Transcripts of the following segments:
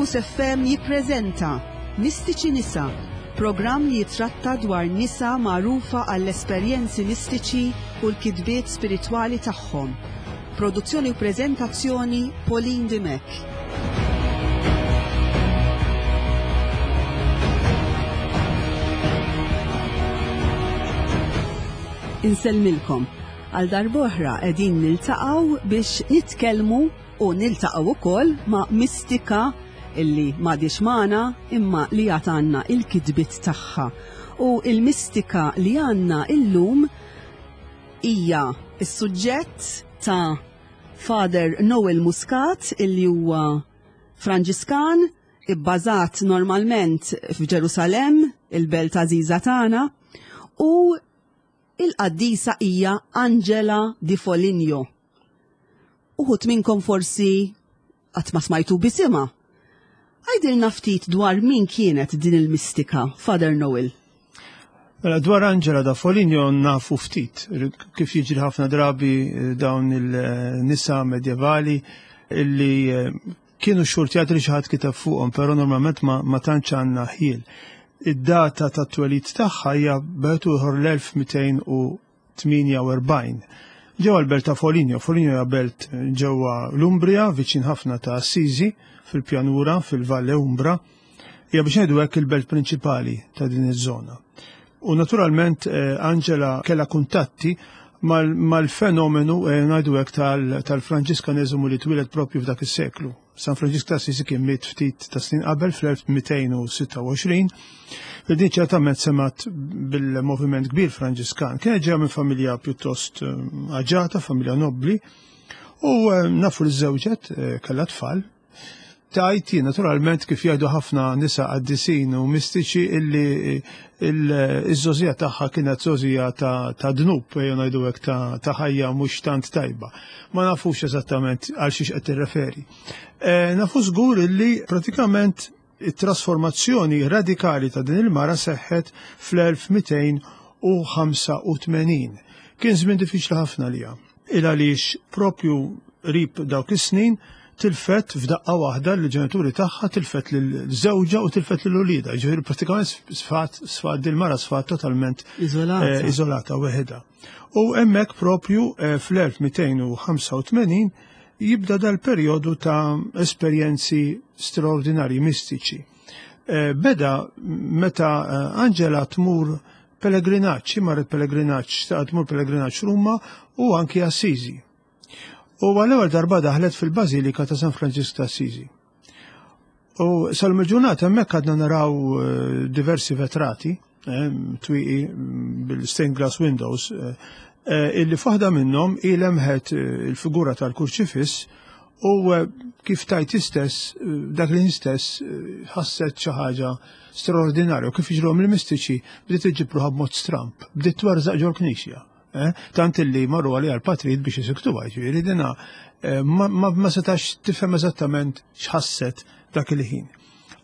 Fokus FM jippreżenta Mistiċi Nisa, programm li jitratta dwar nisa magħrufa għall-esperjenzi mistiċi u l-kitbiet spiritwali tagħhom. Produzzjoni u preżentazzjoni Pauline Dimech. Insellmilkom. Għal darb'oħra qegħdin niltaqgħu biex nitkellmu u niltaqgħu wkoll ma' mistika illi m'għadhiex magħna imma li għad għandna il-kitbiet tagħha. U il-mistika li għandna illum hija s-suġġett ta' Father Noel Muscat illi huwa Franġiskan ibbażat normalment f'Ġerusalemm, il-belt għażiża tagħna, u il-qaddisa hija Angela di Foligno. Uħud minnkom forsi qatt ma smajtu bisimha. Għidilna ftit dwar min kienet din il-mistika, Father Noel. Mela dwar Angela da Foligno nafu ftit, kif jiġri ħafna drabi eh, dawn il-nisa medjevali illi eh, kienu xurtjat li xi ħadd kiteb fuqhom, però normalment ma, ma tantx għandna ħiel. Id-data tat-twelid tagħha hija b'għetu ieħor l-1248. Ġewwa l-belt ta' Foligno, Foligno hija belt ġewwa l-Umbria, viċin ħafna ta' Assisi, fil-pjanura, fil-Valle Umbra. Hija biex ngħidu hekk il-belt prinċipali ta' din iż-żona. U naturalment eh, Angela kellha kuntatti mal-fenomenu eh, ngħidu hekk tal-Franġiskaneżmu li twieled propju f'dak is-seklu. San Franġisk ta' Assisi kien miet ftit ta' snin qabel fl-1226, li din ċertament semat bil-moviment kbir Franġiskan. Kienet ġeja minn familja pjuttost eh, aġata, familja nobbli, u nafu li żewġet kellha tfal, Tajt jien naturalment kif jgħidu ħafna nisa qaddisin u mistiċi illi iż-żożija tagħha kienet żożija ta' dnub, jew ngħidu hekk ta' ħajja mhux tant tajba. Ma nafux eżattament għal xiex qed tirreferi. E, nafu żgur illi pratikament it-trasformazzjoni radikali ta' din il-mara seħħet fl-1285. Kien żmien diffiċli ħafna liha. Il għaliex propju qrib dawk is-snin tilfet f'daqqa waħda l-ġenituri tagħha, tilfet lil żewġha u tilfet lil uliedha. Ġifieri pratikament sfat sfat dil-mara sfat totalment iżolata, eh, iżolata weħedha. U hemmhekk propju eh, fl-1285 jibda dal-perjodu ta' esperjenzi straordinarji mistiċi. Eh, beda meta Angela tmur pellegrinaġġ, marret pellegrinaġġ, xtaqet tmur pellegrinaġġ Ruma u anki Assisi. U għal-ewwel darba daħlet fil-Bażilika ta' San Franġisk ta' Assisi. U sal-ġurnata hemmhekk għadna naraw eh, diversi vetrati, eh, twieqi mm, bil-stained glass windows, eh, illi f'waħda minnhom ilemħet il-figura tal-kurċifiss u kif tajt istess, dak li stess ħasset xi ħaġa straordinarju kif jiġruhom il-mistiċi bdiet iġġib ruħha b'mod stramp, bdiet twerżaq ġol-knisja. Eh? Tant illi marru għalija l-patrijiet biex isiktuha, ġifieri dina eh, ma, ma, ma setax tifhem eżattament x'ħasset dak il-ħin.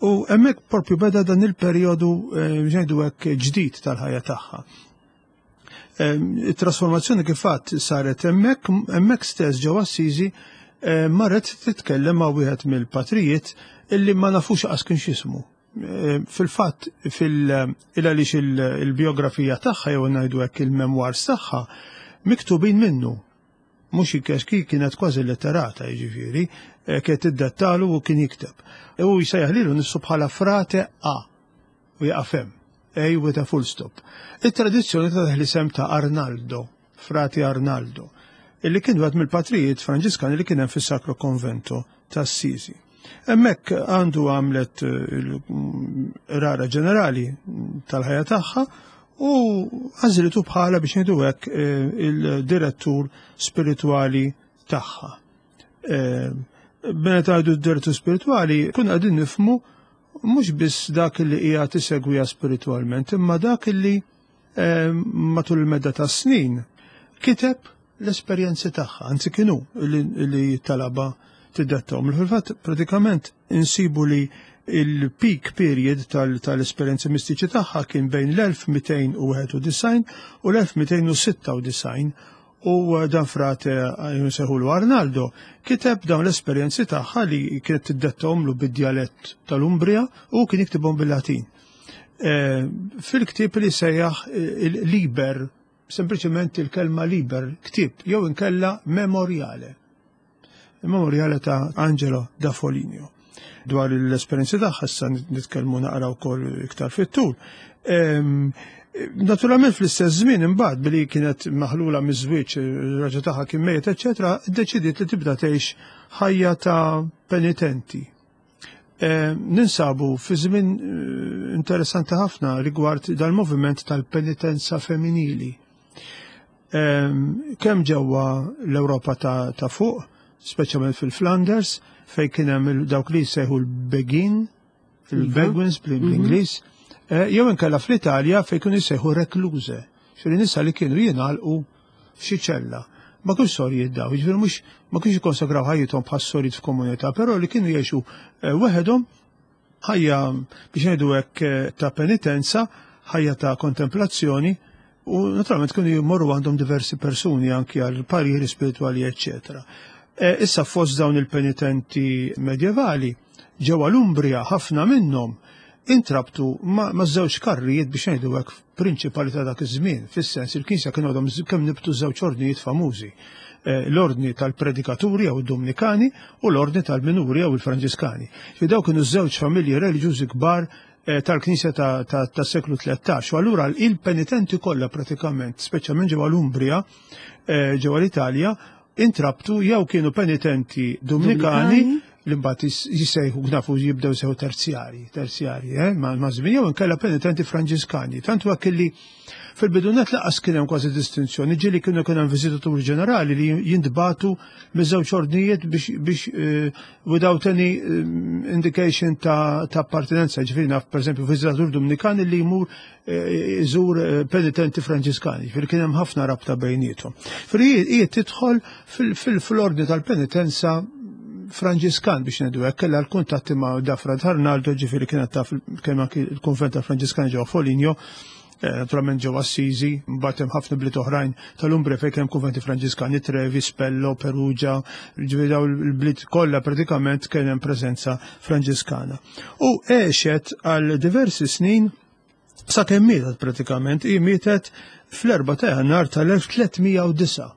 U hemmhekk propju beda dan il-perjodu eh, ngħidu hekk ġdid tal-ħajja tagħha. It-trasformazzjoni kif fatt saret hemmhekk, hemmhekk stess ġewwa Assisi eh, marret titkellem ma' wieħed mill-patrijiet illi ma nafux qas kien x'ismu. Eh, fil-fatt fil-għaliex il-biografija tagħha jew ngħidu hekk il-memoirs tagħha miktubin minnu. Mhux ikkex kienet kważi letterata jiġifieri, eh, kienet iddettalu u kien jikteb. U jsejjaħ lilu nifsu bħala frate A u jaqaf hemm. A with a full stop. It-tradizzjoni ta' l-isem ta' Arnaldo, Frati Arnaldo, illi kien wieħed mill-patrijiet Franġiskani li kien hemm fis-Sacro Convento ta' Assisi. Hemmhekk għandu għamlet eh, il-rara ġenerali tal-ħajja tagħha u għażlitu bħala biex ngħidu hekk eh, il-direttur spiritwali tagħha. Eh, meta għidu d-direttur spiritwali, kun qegħdin nifmu mhux biss dak li hija tisegwija spiritwalment, imma dak li eh, matul il-medda ta' snin kiteb l-esperjenzi tagħha, anzi kienu li talaba tiddettahom. Fil-fatt pratikament insibu li il-peak period tal-esperjenzi mistiċi tagħha kien bejn l-1291 u l-1296. U dan frate jnsejħulu Arnaldo kiteb dawn l-esperjenzi tagħha li kienet tiddettahomlu bid-djalett tal-Umbria u kien jiktibhom bil-Latin. Fil-ktieb li sejjaħ il-Liber, sempliċement il-kelma Liber, ktieb, jew inkella Memoriale. Il-Memoriale ta' Angelo da Foligno. Dwar l-esperjenzi tagħha issa nitkellmu naqra wkoll iktar fit-tul. Naturalment fl-istess żmien imbagħad billi kienet maħlula miż-żwieġ, ir-raġel tagħha kien mejjet, eċetera, iddeċidiet li tibda tgħix ħajja ta' penitenti. Ninsabu fi żmien interessanti ħafna rigward dal-moviment tal-penitenza femminili. Kemm ġewwa l-Ewropa ta' fuq, speċjalment fil-Flanders, fejn kien hemm dawk li jsejħu l-Begin, il-Beguins bl-Ingliż, jew inkella fl-Italja fejn kienu jsejħu recluse, xi nisa li kienu jingħalqu f'xi ċella. Ma kienx sorijiet daw, jiġifieri mhux ma kienx jikkonsagraw ħajjithom bħal sorijiet f'komunità, però li kienu jgħixu weħedhom ħajja biex ngħidu hekk ta' penitenza, ħajja ta' kontemplazzjoni, u naturalment kienu jmorru għandhom diversi persuni anki għal pariri spiritwali, eċċetera. Issa fost dawn il-penitenti medjevali, ġewwa l-Umbria ħafna minnhom intrabtu ma' żewġ karrijiet biex ngħidu hekk prinċipali ta' dak iż-żmien, fis-sens il-Knisja kienu għadhom kemm nibtu żewġ ordnijiet famużi, l-ordni tal-predikaturi jew id-Dominikani u l-ordni tal-minuri jew il-Franġiskani. Fi daw kienu żewġ familji reliġjużi kbar tal-Knisja tas-seklu 13. U allura il-penitenti kollha pratikament, speċjalment ġewwa l-Umbria, ġewwa l-Italja, intrabtu jew kienu penitenti Dominikani li mbagħad jissejħu nafu jibdew sew terzjari, terzjari, ma' żmien jew inkella penitenti Franġiskani. Tant huwa kelli fil-bidunet laqas kien hemm kważi distinzjoni, ġieli kienu kien hemm viżitaturi ġenerali li jintbatu miż-żewġ ordnijiet biex without any indication ta' appartenenza. Ġifieri naf pereżempju viżitatur Dominikani li jmur iżur penitenti Franġiskani, ġifieri kien hemm ħafna rabta bejniethom. Ġifieri hi tidħol fil-ordni tal-penitenza Franġiskan biex ngħidu hekk, kellha l-kuntatti ma' Dafra Arnaldo, ġifieri kienet taf kemm anki l-kunvent tal-Franġiskani ġewwa Foligno, naturalment ġewwa Assisi, mbagħad hemm ħafna bliet oħrajn tal-Umbria fejn kemm kunventi Franġiskani, Trevi, Spello, Perugia, ġifieri dawn il-bliet kollha pratikament kien hemm preżenza Franġiskana. U għexet għal diversi snin sakemm mietet pratikament, hi mietet fl-4 ta' Jannar tal-1309.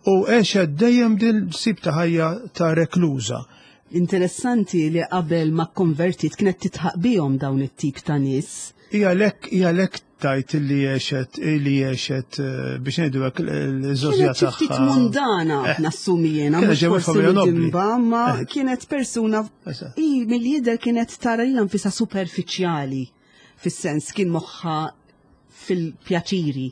U għexet dejjem din sib ta' ħajja ta' rekluża. Interessanti li qabel ma konvertit kienet titħaq bihom dawn it-tip ta' nies. Hija lek tajt li għexet, li għexet biex ngħidu hekk l-żożja Kienet xi ftit tagħha. mundana, nassumi jiena, Kienet mhux ġewwa forsi familja nobli. midinba, ma kienet persuna i mill-jidher kienet tara lilha nfisha superfiċjali, fis-sens kien moħħha fil-pjaċiri.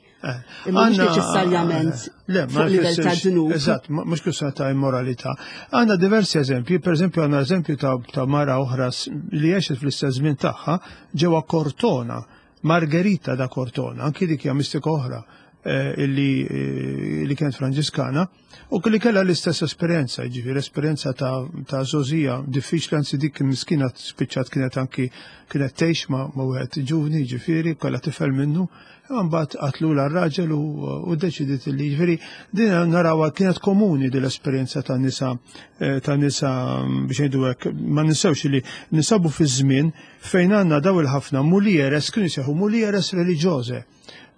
Imma mhux neċessarjament Le, ma fuq livell ta' jfissirx- dnub. Eżatt, mhux kwistjoni ta' immoralità. Għandna diversi eżempji, per eżempju għandna eżempju ta' mara oħra li għexet fl-istess żmien tagħha ġewwa Cortona, Margherita da Cortona, anki dik hija mistika oħra li kienet Franġiskana, u li kellha l-istess esperjenza, jiġifieri esperjenza ta' żgħożija diffiċli, anzi dik miskina spiċċat kienet anki kienet tgħix ma' wieħed ġuvni, jiġifieri kellha tifel minnu, imma mbagħad qatlula r-raġel u ddeċidiet li jiġifieri din narawha kienet komuni din l-esperjenza ta' nisa ta' nisa biex ngħidu hekk, ma ninsewx li ninsabu fi żmien fejn għandna daw il-ħafna mulieres, kienu jsejħu mulieres reliġjoże.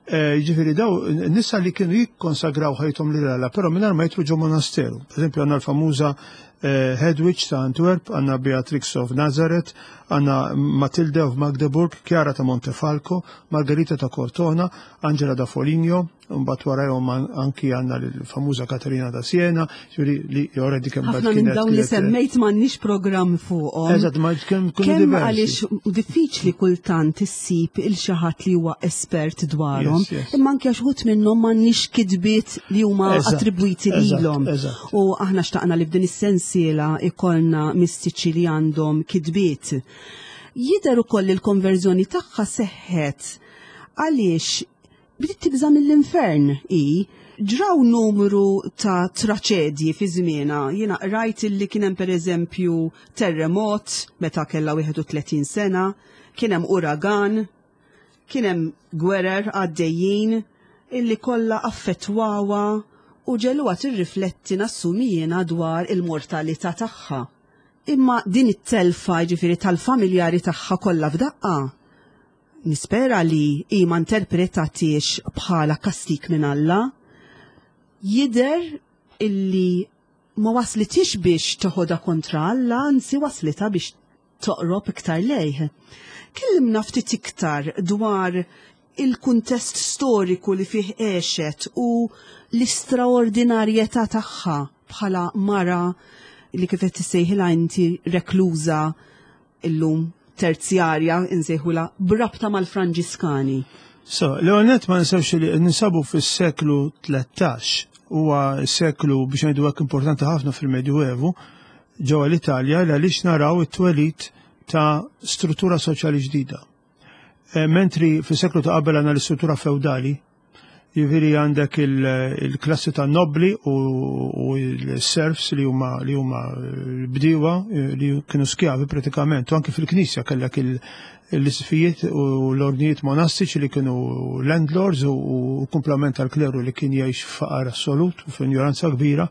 Jiġifieri daw nisa li kienu jikkonsagraw ħajthom lil Alla, però mingħajr ma jidħlu ġo monasteru. Per eżempju għandna l-famuża Hedwig ta' Antwerp, għandna Beatrix of Nazareth, għandna Matilde of Magdeburg, Chiara ta' Montefalco, Margherita ta' Cortona, Angela da Foligno, mbagħad warajhom anki għandna l-famuża Katerina da Siena, ġifieri li already kemm Ħafna bad minn kienet dawn li kienet semmejt m'għandniex programm fuqhom. Eżatt, ma kemm kienu Kemm diversi. għaliex diffiċli kultant issib il xi ħadd li huwa espert dwarhom, imma anke għax uħud minnhom m'għandniex kitbiet li huma attribwiti lilhom. U aħna xtaqna li f'din is-sensiela ikollna mistiċi li għandhom kitbiet. Jidher ukoll li l-konverżjoni tagħha seħħet għaliex bdiet tibża' mill-infern i ġraw numru ta' traċedji fi żmienha. Jiena qrajt illi kien hemm pereżempju terremot meta kellha 31 sena, kien hemm uragan, kien hemm gwerer għaddejjin illi kollha affettwawha u ġegħluha tirrifletti nassumi jiena dwar il-mortalità tagħha. Imma din it-telfa jiġifieri tal-familjari tagħha kollha f'daqqa, nispera li hi ma interpretatiex bħala kastik minn Alla. Jidher illi ma waslitix biex toħodha kontra Alla, anzi waslitha biex toqrob iktar lejh. Kellimna ftit iktar dwar il-kuntest storiku li fih għexet u l-istraordinarjetà tagħha bħala mara li kif qed tissejħilha inti rekluża illum terzjarja insejħulha b'rabta mal-Franġiskani. So, l-ewwel ma ninsewx li ninsabu fis-seklu 13 huwa seklu biex ngħidu hekk importanti ħafna fil-Medjuevu ġewwa l-Italja għaliex naraw it-twelid ta' struttura soċjali ġdida. Eh, mentri fis-seklu ta' qabel għandna l-istruttura feudali, jiġifieri għandek il-klassi ta' nobli u l-serfs li huma li huma l-bdiewa eh, li kienu skjavi pratikament, u anke fil-knisja kellek l-isfijiet u l-ordnijiet monastiċi li kienu landlords u kumplament tal-kleru li kien jgħix faqar assolut u f'injoranza kbira.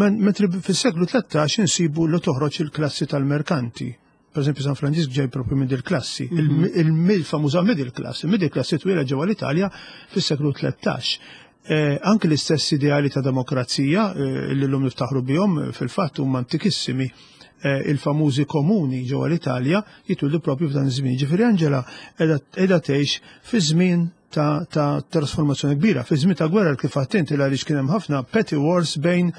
Mentri fis-seklu 13 insibu li toħroġ il-klassi tal-merkanti. Per eżempju, San Franġisk ġej propju minn dil-klassi, mhm. il-famuża middle class. Il-middle class twila ġewwa l-Italja fis-seklu 13. Eh, anke l-istess ideali ta' demokrazija eh, li l-lum niftaħru bihom eh, fil-fatt huma antikissimi il-famużi komuni ġewwa l-Italja jitwildu propju f'dan iż-żmien. Ġifieri Angela qiegħda tgħix fi żmien ta', ta trasformazzjoni kbira. Fi żmien ta' gwerra kif għattint għaliex kien hemm ħafna petty wars bejn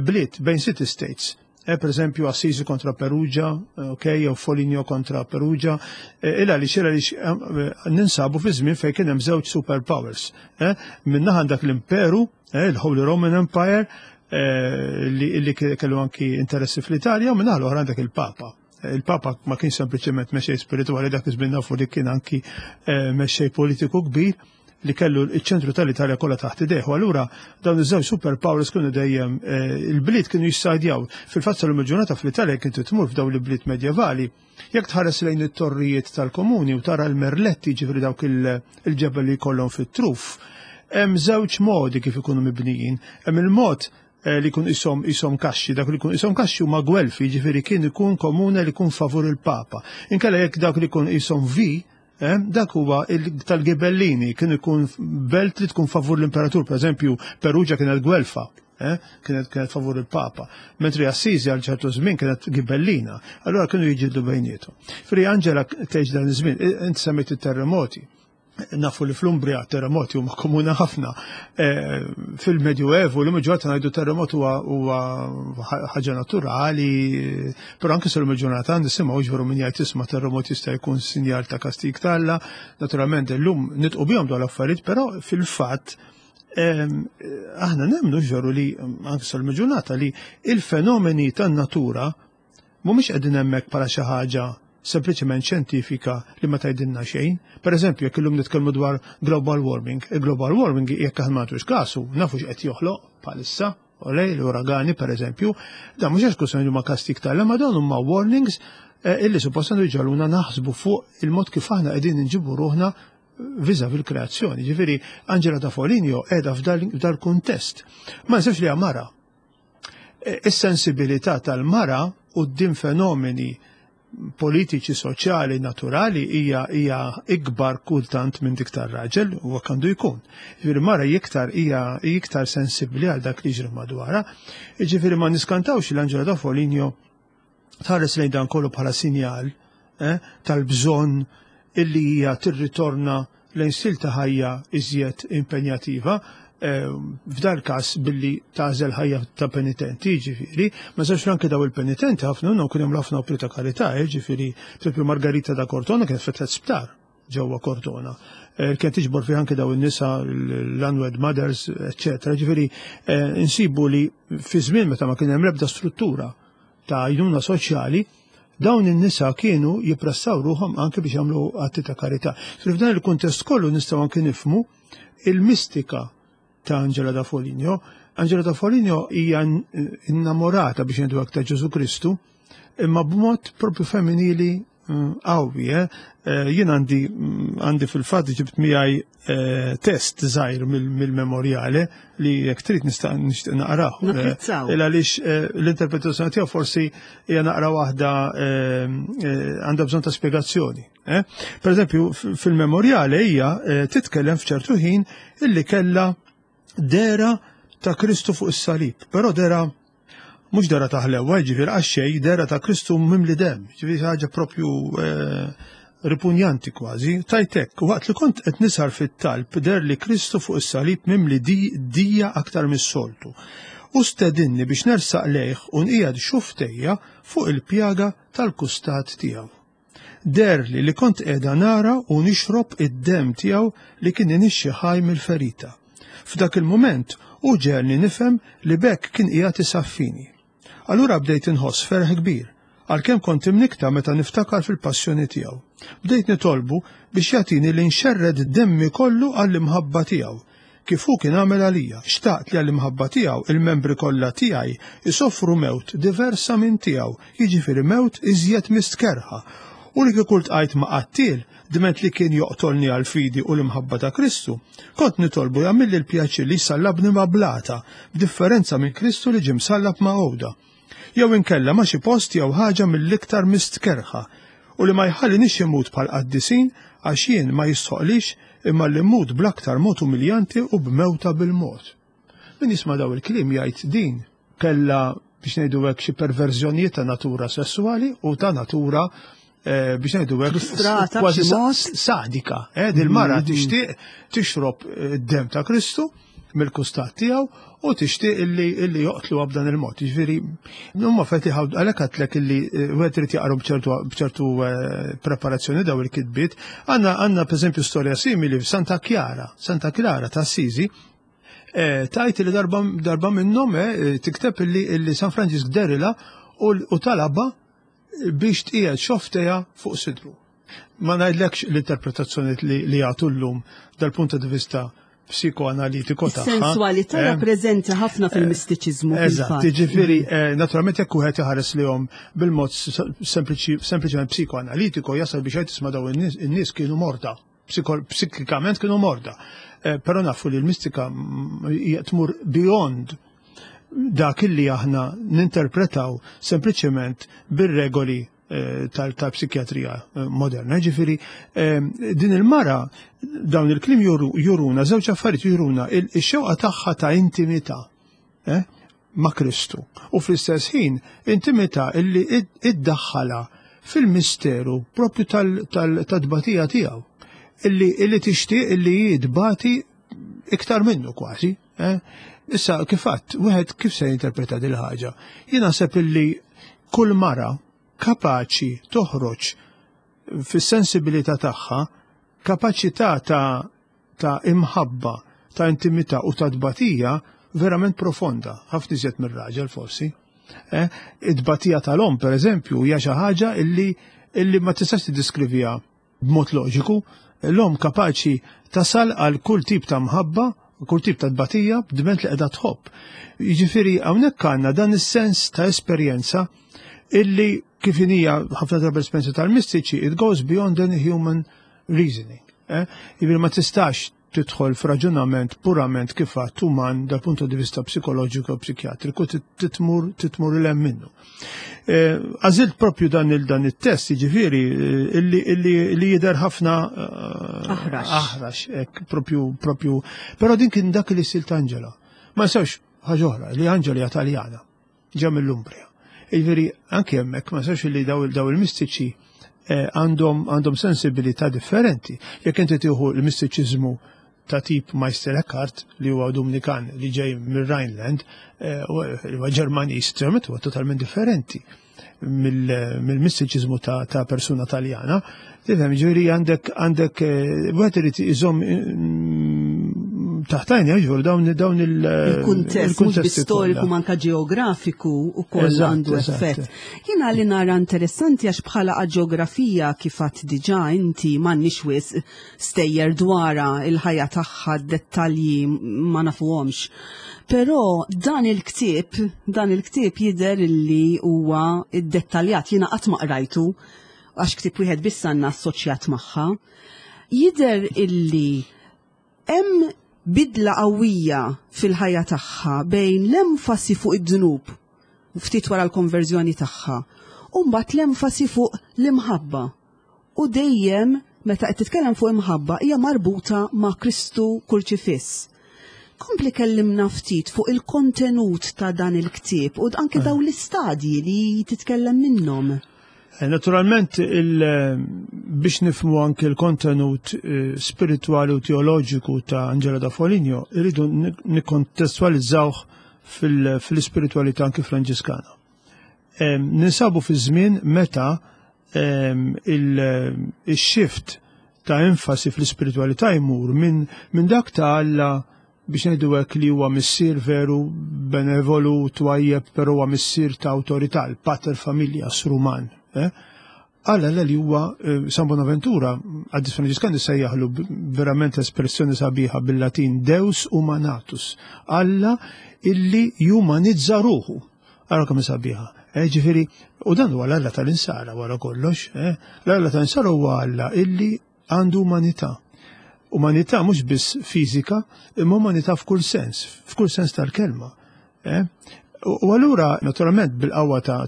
bliet, bejn city states. Eh, per eżempju Assisi kontra Perugia, eh, ok, jew Foligno kontra Perugia, eh, illa li xira li ninsabu fi żmien fejn kien hemm żewġ superpowers. Eh, Minnaħa għandek l-Imperu, il-Holy Roman Empire, li kellu anki interessi fl-Italja, u minnaħa l-oħra għandek il-Papa. Il-Papa ma kien sempliċement mexej spirituali dak iż-żmien nafu li kien anki mexej politiku kbir, li kellu ċ-ċentru tal-Italja kollha taħt idejh. U allura dawn iż-żewġ superpowers kienu dejjem eh, il-bliet kienu jissajdjaw. Fil-fatt sal il-ġurnata fl-Italja kien tmur f'dawn l-bliet medjevali. Jekk tħares lejn it-torrijiet tal-komuni u tara l-merletti ġifri dawk il-ġebel li jkollhom fit-truf, hemm żewġ modi kif ikunu mibnijin. Hemm il-mod eh, li jkun isom isom kaxxi, dak li jkun isom kaxxi huma gwelfi, ġifieri kien ikun komune li jkun favur il-Papa. Inkella jekk dak li jkun isom vi, Eh, dak huwa tal-Gibellini, kien ikun belt li tkun favur l-imperatur, per eżempju, Perugia kienet Gwelfa, eh, kienet kienet favur il-Papa, mentri Assisi għal ċertu żmien kienet Gibellina, allura kienu jiġildu bejnietu. Fri Angela tgħix dan iż-żmien, inti semmejt it-terremoti nafu li fl-Umbria terremoti huma komuni ħafna. Eh, Fil-Medjuevu l ġurnata ngħidu terremot huwa ħaġa naturali, però anke sal ġurnata nisimgħu ġveru min jgħid isma' terremot jista' jkun sinjal ta' kastig t'Alla. Naturalment illum nitqu bihom dawn l-affarijiet, però fil-fatt aħna nemmnu ġveru li anke sal ġurnata li il-fenomeni tan-natura mhumiex qegħdin hemmhekk bħala xi ħaġa sempliċement xjentifika li ma tgħidilna xejn. Per eżempju, jekk illum nitkellmu dwar global warming, il-global warming jekk aħna ma nagħtux kasu, nafu x'qed joħloq bħalissa, olej, l-uragani per eżempju, dan mhux għax kwistjoni huma kastig tal ma dawn huma warnings eh, illi suppost għandu jġaluna naħsbu fuq il-mod kif aħna qegħdin inġibu ruħna viża fil-kreazzjoni. Ġifieri Angela da Foligno qiegħda f'dal-kuntest. Ma nsibx li mara. Eh, is-sensibilità tal-mara quddiem fenomeni politiċi, soċjali, naturali hija hija ikbar kultant minn dik tar-raġel u hekk għandu jkun. Ġifieri mara iktar hija iktar sensibbli għal dak li jiġri madwarha. Ġifieri ma niskantawx li Angela da Foligno tħares lejn dan kollu bħala sinjal eh, tal-bżonn illi hija tirritorna lejn stil ta' ħajja iżjed impenjativa, eh, f'dal każ billi tagħżel ħajja ta' penitenti, ġifieri, ma sewx anke daw il-penitenti ħafna minnhom kien hemm ħafna opri ta' karità, eh, ġifieri, pereżempju Margarita da Cortona kienet fetħet sptar ġewwa Cortona. Eh, kienet tiġbor fih anke daw in-nisa l-unwed mothers, eċċetera. Ġifieri insibu li fi żmien meta ma kien hemm l-ebda struttura ta' għajnuna soċjali, dawn in-nisa kienu jippressaw ruħhom anke biex jagħmlu atti ta' karità. F'dan il-kuntest kollu nistgħu anke nifhmu il-mistika ta' Angela da Foligno. Angela da Foligno hija innamorata biex ngħidu ta' Ġesu Kristu, imma b'mod propju femminili qawwi. Eh? eh jien għandi għandi fil-fatt ġibt miegħi eh, test żgħir mill-memorjale li jekk trid nista' nixtieq naqrah. Il għaliex l-interpretazzjoni tiegħu forsi hija naqra waħda għandha bżonn ta' spjegazzjoni. Per eżempju, fil-memorjale hija titkellem f'ċertu ħin illi kellha dera ta' Kristu fuq is-salib, però dera mhux dera ta' ħlewwa, jiġifieri għax xejn, dera ta' Kristu mimli dem, jiġifieri ħaġa propju eh, ripunjanti kważi. Tajtek, waqt li kont qed nisar fit-talb der li Kristu fuq is-salib mimli dija aktar mis-soltu. U stedinni biex nersaq lejh u nqiegħed xuftejja fuq il-pjaga tal-kustat tiegħu. Deherli li kont qiegħda nara u nixrob id-demm tiegħu li kien inixxi ħaj mill-ferita. F'dak il-mument hu ġegħelni nifhem li b'hekk kien qiegħed isaffini. Allura bdejt inħoss ferħ kbir, għalkemm kont imnikkta meta niftakar fil-passjoni tiegħu. Bdejt nitolbu biex jagħtini li nxerred demmi kollu għall-imħabba tiegħu, kif hu kien għamel għalija. Xtaqt li għall-imħabba tiegħu il-membri kollha tiegħi jsofru mewt diversa minn tiegħu, jiġifieri mewt iżjed mistkerrħa. U li kieku ltqajt ma' qattiel, dment li kien joqtolni għall-fidi u l-imħabba ta' Kristu, kont nitolbu jagħmilli l-pjaċir li jsallabni ma' blata, b'differenza minn Kristu li ġie msallab ma' għuda. Jew inkella ma' xi post jew ħaġa mill-iktar mistkerrħa, u li ma jħallinix immut bħall-qaddisin għax jien ma jistħoqlix imma li mmut bl-aktar mod umiljanti u b'mewta bil-mod. Min jisma' daw il-kliem jgħid din kellha biex ngħidu hekk xi perverżjonijiet ta' natura sesswali u ta' natura eh, biex ngħidu hekk kważi sadika. Eh, Dil-mara mm-hmm. tixtieq tixrob eh, id-dem ta' Kristu mill-kustat tiegħu u tixtieq illi illi joqtlu b'dan il-mod. Jiġifieri huma feti għalhekk għadtlek illi eh, wieħed irid jaqru b'ċertu eh, preparazzjoni daw il-kitbiet. Għandna għandna pereżempju storja simili f'Santa Chiara, Santa Clara ta' Assisi, eh, tajt li darba, darba minnhom tikteb illi, illi San Franġisk derila u talaba biex tqiegħed xofteja fuq sidru. Ma ngħidlekx l-interpretazzjoni li jagħtu llum dal-punt di vista psikoanalitiku tagħha. Sensualità eh, preżenti ħafna fil-mistiċiżmu. Eżatt, jiġifieri eh, naturalment jekk wieħed iħares lihom bil-mod sempliċement psikoanalitiku jasal biex qed tisma' dawn in-nies kienu morda, psikikament kienu morda. Eh, però nafu li l-mistika mm, tmur beyond dak illi aħna ninterpretaw sempliċement bir-regoli eh, tal-psikjatrija eh, moderna. Ġifiri, eh, din il-mara, dawn il-klim juruna, żewġ affarijiet juruna, il-xewqa tagħha ta' intimità ma' Kristu. U fl-istess ħin, intimità illi iddaħħala fil-misteru propju tal-tbatija tiegħu. Illi tixtieq illi jitbati iktar minnu kważi. Eh? Issa, kif għadt, wieħed kif se jinterpreta dil ħaġa? Jien naħseb illi kull mara kapaċi toħroġ fis-sensibilità tagħha kapaċità ta' ta' imħabba, ta' intimità u ta' tbatija verament profonda, ħafna iżjed mir-raġel forsi. Eh? It-tbatija tal-om, per eżempju, hija xi ħaġa illi illi ma tistax tiddeskriviha B'mod loġiku, l-omm kapaċi tasal għal kull tip ta' mħabba, kull tip ta' tbatija, dment li qiegħda tħobb. Jiġifieri hawnhekk għandna dan is-sens ta' esperjenza illi kif inhija ħafna drabi l-esperjenza tal-mistiċi, it goes beyond any human reasoning. Eh? Jiġifieri ma tistax tidħol f'raġunament purament kif għadt uman dal punto di vista psikoloġiku u psikjatriku titmur titmur il minnu. Eh, għażilt propju dan il dan it-test jiġifieri eh, illi li jidher ħafna eh, aħrax. Aħrax, hekk propju propju. Però din kien dak li silt Angela. Ma nsewx ħaġa oħra li Angela hija Taljana. ġa mill-Umbria. Jiġifieri anke hemmhekk ma sewx li daw il-mistiċi eh, għandhom għandhom sensibilità differenti. Jekk inti tieħu l-mistiċiżmu ta' tip Meister Eckhart li huwa Dominikan li ġej mir-Rhineland, eh, huwa Ġermaniż, huwa totalment differenti mill-mistiċiżmu ta' persuna Taljana. Tifhem, ġifieri għandek għandek eh, wieħed irid iżomm mm, taħtajn ġifieri dawn dawn il- Il-kuntest mhux storiku manka ġeografiku ukoll għandu effett. Jiena li nara interessanti għax bħala ġeografija kif għadt diġà inti m'għandniex wisq stejjer dwarha il-ħajja tagħha dettalji ma nafuhomx. Però dan il-ktieb, dan il-ktieb jidher illi huwa iddettaljat, jiena qatt ma qrajtu. għax ktieb wieħed biss għandna assoċjat magħha, jidher illi hemm bidla qawwija fil-ħajja tagħha bejn l-enfasi fuq id-dnub ftit wara l-konverżjoni tagħha u mbagħad l-enfasi fuq l-imħabba. U dejjem meta qed titkellem fuq imħabba hija marbuta ma' Kristu kurċifiss. Kompli kellimna ftit fuq il-kontenut ta' dan il-ktieb u anke dawn l-istadji li titkellem minnhom. Naturalment, biex nifhmu anke l-kontenut spiritwali u teoloġiku ta' Angela da Foligno, irridu nikkontestualizzawh fil-ispiritualità anke Franġiskana. Ninsabu fi żmien meta il-shift ta' enfasi fl-ispiritualità jmur minn dak ta' Alla biex ngħidu hekk li huwa missier veru benevolu twajjeb però huwa missier ta' awtorità, il-pater familias Ruman. Alla li huwa San Bonaventura, Qaddis Franġiskan issejjaħlu verament espressjoni sabiħa bil-Latin Deus humanatus, Alla illi jumanizza ruħu. Ara kemm sabiħa. Ġifieri, u dan huwa l-Alla tal-insara wara kollox. L-Alla tal-insara huwa Alla illi għandu umanità. Umanità mhux biss fiżika, imma umanità f'kull sens, f'kull sens tal-kelma. U allura, naturalment, bil-qawwa ta'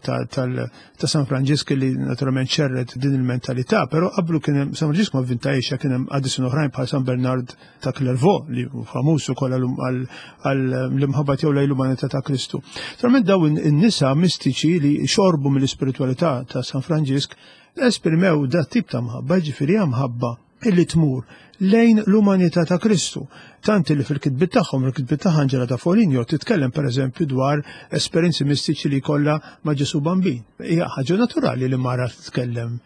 San Franġisk li naturalment xerred din il-mentalità, però qablu kien hemm San Franġisk ma vvintajx, kien hemm qaddisin oħrajn bħal San Bernard ta' Clairvaux li famuż ukoll għall-imħabba tiegħu lejn l-umanità ta' Kristu. Naturalment dawn in-nisa mistiċi li xorbu mill-ispiritwalità ta' San Franġisk esprimew dat tip ta' mħabba, ġifieri mħabba illi tmur lejn l-umanità ta' Kristu. Tant li fil-kitbiet tagħhom, il-kitbiet ta' Angela da Foligno titkellem pereżempju dwar esperjenzi mistiċi li jkollha ma' Ġesu Bambin. Hija ħaġa naturali li mara titkellem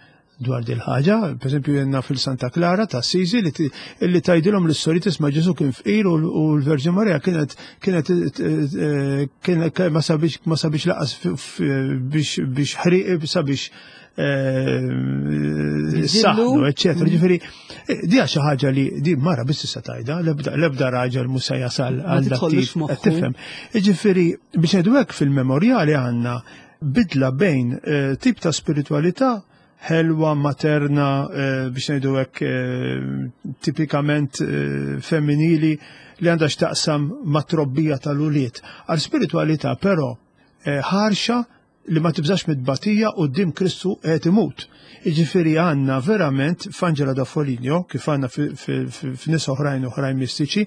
dwar dil ħaġa, pereżempju jenna fil-Santa Clara ta' Assisi li tgħidilhom l-istorja tisma' Ġesu kien fqir u l-Verġin Marija kienet kienet ma sabiex laqas biex ħriq sabiex saħnu, eccetera. Ġifieri, di xi ħaġa li di mara biss tista' tgħidha, l-ebda raġel mhux se jasal għal dak tifhem. Ġifieri, biex ngħidu hekk fil-memorjali għandna bidla bejn tip ta' spiritualità ħelwa, materna, biex ngħidu hekk tipikament femminili li għandha x'taqsam ma' trobbija tal-ulied. Għal spiritualità però ħarxa li ma tibżax mid-batija quddiem Kristu qed imut. Jiġifieri għandna verament f'Angela da Foligno, kif għandna f'nies oħrajn oħrajn mistiċi,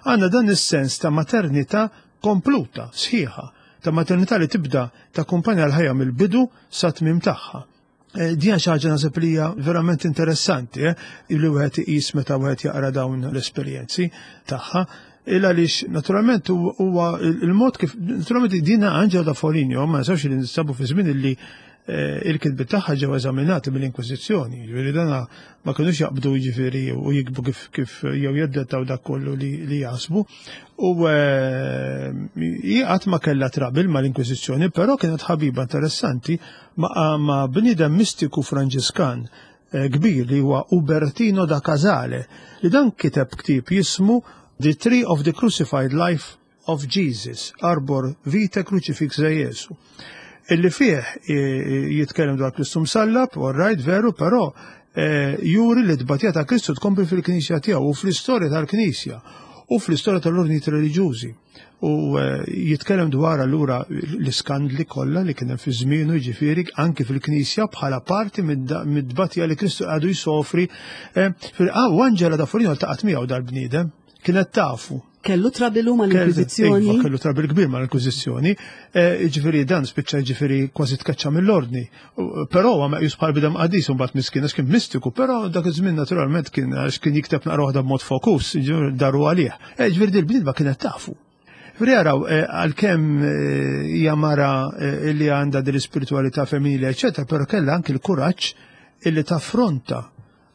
għandna dan is-sens ta' maternità kompluta, sħiħa, ta' maternità li tibda takkumpanja l-ħajja mill-bidu sa tmiem tagħha. Di xi ħaġa naħseb li hija verament interessanti, li wieħed iqis meta wieħed jaqra dawn l-esperjenzi tagħha. Il għaliex naturalment huwa il-mod kif naturalment dina Angela da Foligno ma nsawx li nistabu fi żmien illi il-kitbiet tagħha ġew eżaminati mill-Inkwiżizzjoni, jiġifieri dana ma kinux jaqbdu jiġifieri u jikbu kif jew jeddettaw dak kollu li jaħsbu. U hi qatt ma kellha trabil mal-Inkwiżizzjoni, però kienet ħabiba interessanti ma' bniedem mistiku Franġiskan kbir li huwa Ubertino da Casale, li dan kiteb ktieb jismu The Tree of the Crucified Life of Jesus, Arbor Vitae Crucifixa Jesu. Illi fih jitkellem dwar Kristu msallab, all right, veru, però juri li t-tbatija ta' Kristu tkompli fil-Knisja tiegħu u fl-istorja tal-Knisja u fl-istorja tal-ordnijiet reliġjużi. U jitkellem dwar allura l-iskandli kollha li kien hemm fi żmienu, jiġifieri anki fil-Knisja bħala parti mid-tbatija li Kristu għadu jsofri. U Angela da Foligno ltaqgħet miegħu dal-bniedem, kienet tafu. Kellu trabilu mal-Inkwiżizzjoni? Iva, kellu trabil kbir mal-Inkwiżizzjoni. Jiġifieri dan spiċċa jiġifieri kważi tkeċċa mill-ordni. Però huwa meqjus bħal bidem qaddis u mbagħad miskin għax kien mistiku, però dak iż-żmien naturalment kien għax kien jikteb naqra waħda b'mod fokus, jiġifieri daru għalih. Jiġifieri din il-bniedma kienet tafu. Jiġifieri jaraw għalkemm hija mara li għandha din l-ispiritualità femminili, eċċetera, però kellha anki l-kuraġġ illi taffronta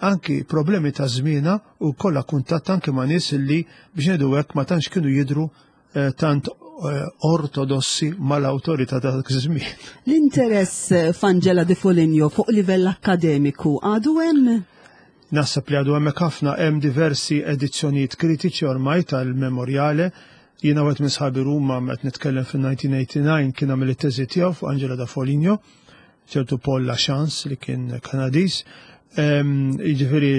anki problemi ta' żmienha u kollha kuntatt anki ma' nies illi biex ngħidu hekk ma tantx kienu jidhru tant ortodossi mal-awtorità ta' dak iż-żmien. L-interess f'Angela di Foligno fuq livell akkademiku għadu hemm? Naħseb li għadu hemmhekk ħafna, hemm diversi edizzjonijiet kritiċi ormai tal-memoriale. Jiena wieħed minn sħabi Ruma qed nitkellem fil-1989 kien għamel it-teżi tiegħu fuq Angela da Foligno. ċertu Paul Lachance li kien Kanadiż. Jiġifieri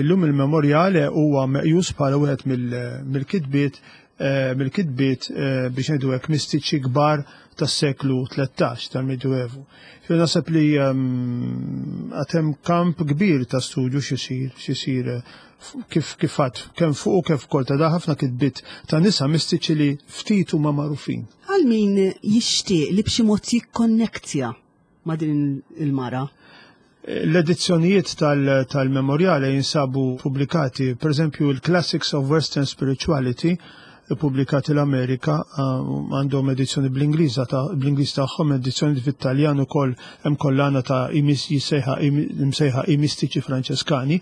illum il-memorjale huwa meqjus bħala wieħed mill-kitbiet eh, mill-kitbiet eh, biex ngħidu hekk mistiċi kbar tas-seklu 13 tal-Medjuevu. Fi naħseb li għad hemm kamp kbir ta' studju x'isir x'isir eh, kif kif għad kemm fuq u kif ukoll ta' da ħafna kitbiet ta' nisa mistiċi li ftit huma magħrufin. Għal min jixtieq li b'xi mod jikkonnektja ma' din il-mara? L-edizzjonijiet tal-memorjale jinsabu pubblikati, per eżempju, il-Classics of Western Spirituality, pubblikati l-Amerika, għandhom edizzjoni bl-Ingliż bl-Ingliż tagħhom, edizzjoni fit-Taljan ukoll hemm kollana ta' jissejħa imsejħa i mistiċi Franċeskani.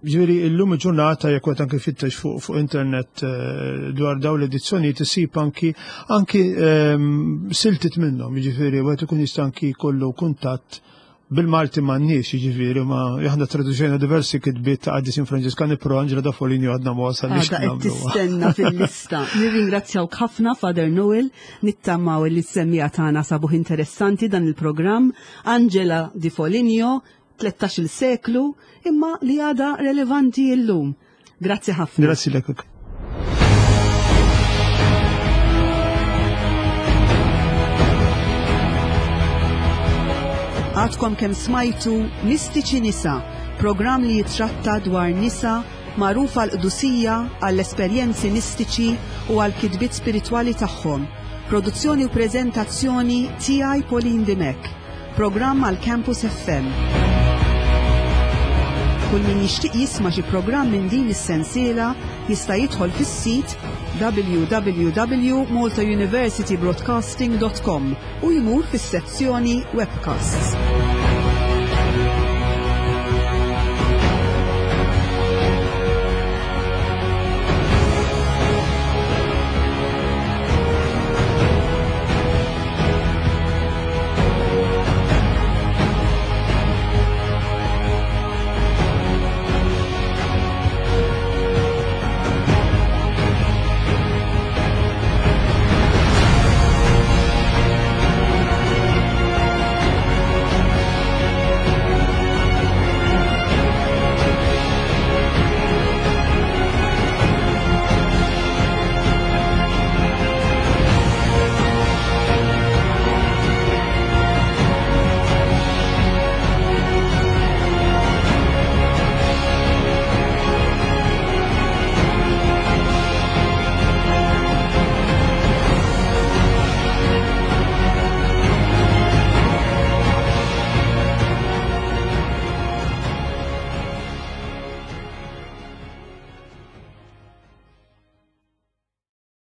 Ġifieri illum il-ġurnata jekk qed anke fittex fuq fuq internet eh, dwar dawn l-edizzjonijiet isib anki anki ehm, siltit minnhom, jiġifieri wieħed ikun jista' anki jkollu kuntatt bil-Malti m'għandniex, jiġifieri ma aħna traduċejna diversi kitbiet ta' qaddisin Franġiskani pro Angela da Foligno għadna ma wasalniex. Għadha qed tistenna fil-lista. Nirringrazzjawk ħafna Father Noel, nittamaw li s-semmija tagħna sabuh interessanti dan il-programm. Angela di Foligno, 13-il seklu, imma li għadha relevanti illum. Grazzi ħafna. Grazzi lek. Għadkom kemm smajtu Mistiċi Nisa, programm li jitratta dwar nisa magħrufa għall-qdusija, għall-esperjenzi mistiċi u għall-kitbiet spiritwali tagħhom. Produzzjoni u preżentazzjoni tiegħi Pauline Dimech. Programm għal Campus FM. Kull min jixtieq jisma' xi programm minn din is-sensiela jista' jidħol fis-sit www.maltauniversitybroadcasting.com u jmur fis-sezzjoni Webcasts.